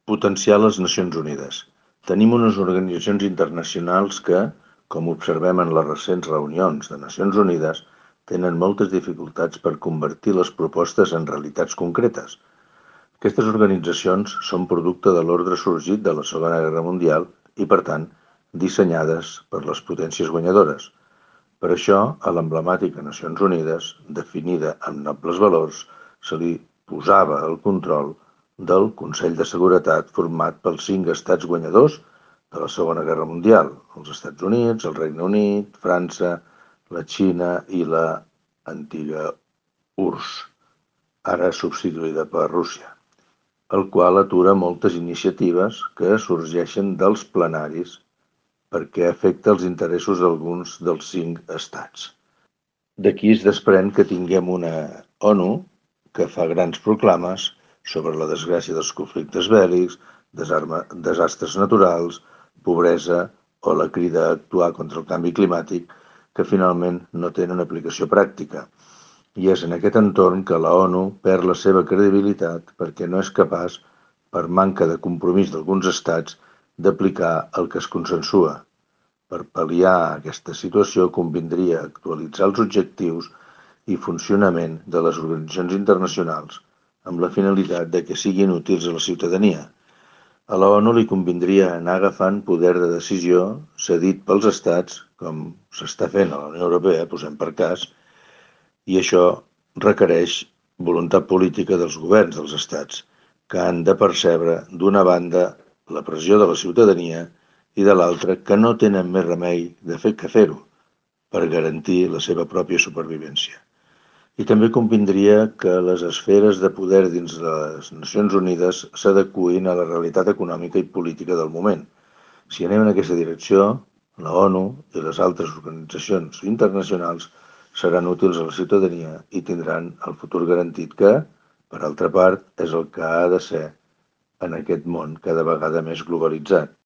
Potenciar les Nacions Unides. Tenim unes organitzacions internacionals que, com observem en les recents reunions de Nacions Unides, tenen moltes dificultats per convertir les propostes en realitats concretes. Aquestes organitzacions són producte de l'ordre sorgit de la Segona Guerra Mundial i, per tant, dissenyades per les potències guanyadores. Per això, a l'emblemàtica Nacions Unides, definida amb nobles valors, se li posava el control del Consell de Seguretat format pels 5 estats guanyadors de la Segona Guerra Mundial: els Estats Units, el Regne Unit, França, la Xina i la antiga URSS, ara substituïda per Rússia, el qual atura moltes iniciatives que sorgeixen dels plenaris perquè afecta els interessos d'alguns dels 5 estats. D'aquí es desprèn que tinguem una ONU que fa grans proclames sobre la desgràcia dels conflictes bèl·lics, desastres naturals, pobresa o la crida a actuar contra el canvi climàtic, que finalment no tenen aplicació pràctica. I és en aquest entorn que la ONU perd la seva credibilitat perquè no és capaç, per manca de compromís d'alguns estats, d'aplicar el que es consensua. Per pal·liar aquesta situació convindria actualitzar els objectius i funcionament de les organitzacions internacionals amb la finalitat de que siguin útils a la ciutadania. A la ONU li convindria anar agafant poder de decisió cedit pels estats, com s'està fent a la Unió Europea, posem per cas, i això requereix voluntat política dels governs dels estats, que han de percebre, d'una banda, la pressió de la ciutadania i de l'altra, que no tenen més remei que fer-ho per garantir la seva pròpia supervivència. I també convindria que les esferes de poder dins de les Nacions Unides s'adeqüin a la realitat econòmica i política del moment. Si anem en aquesta direcció, la ONU i les altres organitzacions internacionals seran útils a la ciutadania i tindran el futur garantit que, per altra part, és el que ha de ser en aquest món cada vegada més globalitzat.